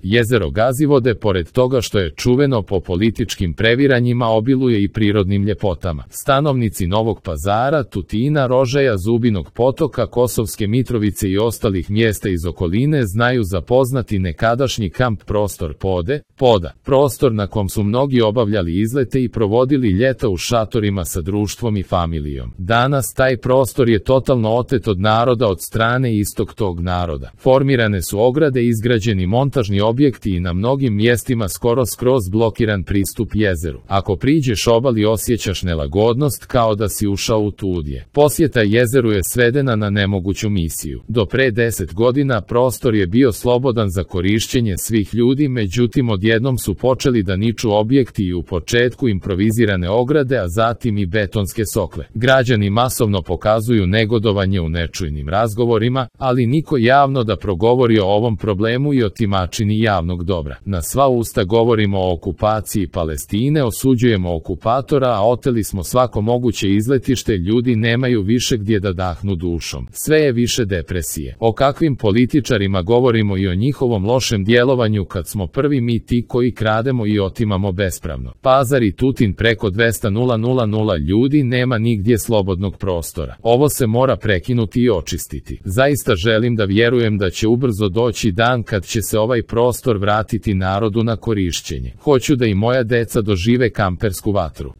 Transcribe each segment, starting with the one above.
Jezero Gazivode, pored toga što je čuveno po političkim previranjima, obiluje i prirodnim ljepotama. Stanovnici Novog Pazara, Tutina, Rožaja, Zubinog Potoka, Kosovske Mitrovice i ostalih mjesta iz okoline znaju za poznati nekadašnji kamp prostor Poda, prostor na kom su mnogi obavljali izlete i provodili ljeta u šatorima sa društvom i familijom. Danas taj prostor je totalno otet od naroda od strane istog tog naroda. Formirane su ograde, izgrađeni montažni objekti i na mnogim mjestima skroz blokiran pristup jezeru. Ako priđeš obali osjećaš nelagodnost kao da si ušao u tudje. Posjeta jezeru je svedena na nemoguću misiju. Do pre 10 godina prostor je bio slobodan za korišćenje svih ljudi, međutim odjednom su počeli da niču objekti i u početku improvizirane ograde, a zatim i betonske sokle. Građani masovno pokazuju negodovanje u nečujnim razgovorima, ali niko javno da progovori o ovom problemu i otimačini javnog dobra. Na sva usta govorimo o okupaciji Palestine, osuđujemo okupatora, a oteli smo svako moguće izletište, ljudi nemaju više gdje da dahnu dušom. Sve je više depresije. O kakvim političarima govorimo i o njihovom lošem djelovanju kad smo prvi mi ti koji krademo i otimamo bespravno. Pazar i Tutin, preko 200.000 ljudi, nema nigdje slobodnog prostora. Ovo se mora prekinuti i očistiti. Zaista želim da vjerujem da će ubrzo doći dan kad će se ovaj prostor vratiti narodu na korišćenje. Hoću da i moja deca dožive kampersku vatru.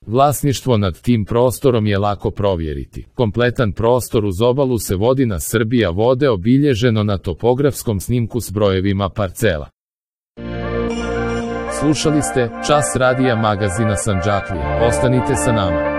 Vlasništvo nad tim prostorom je lako provjeriti. Kompletan prostor uz obalu se vodi na Srbija vode, obilježeno na topografskom snimku s brojevima parcela. Slušali ste Čas radija magazina Sandžaklija. Ostanite sa nama.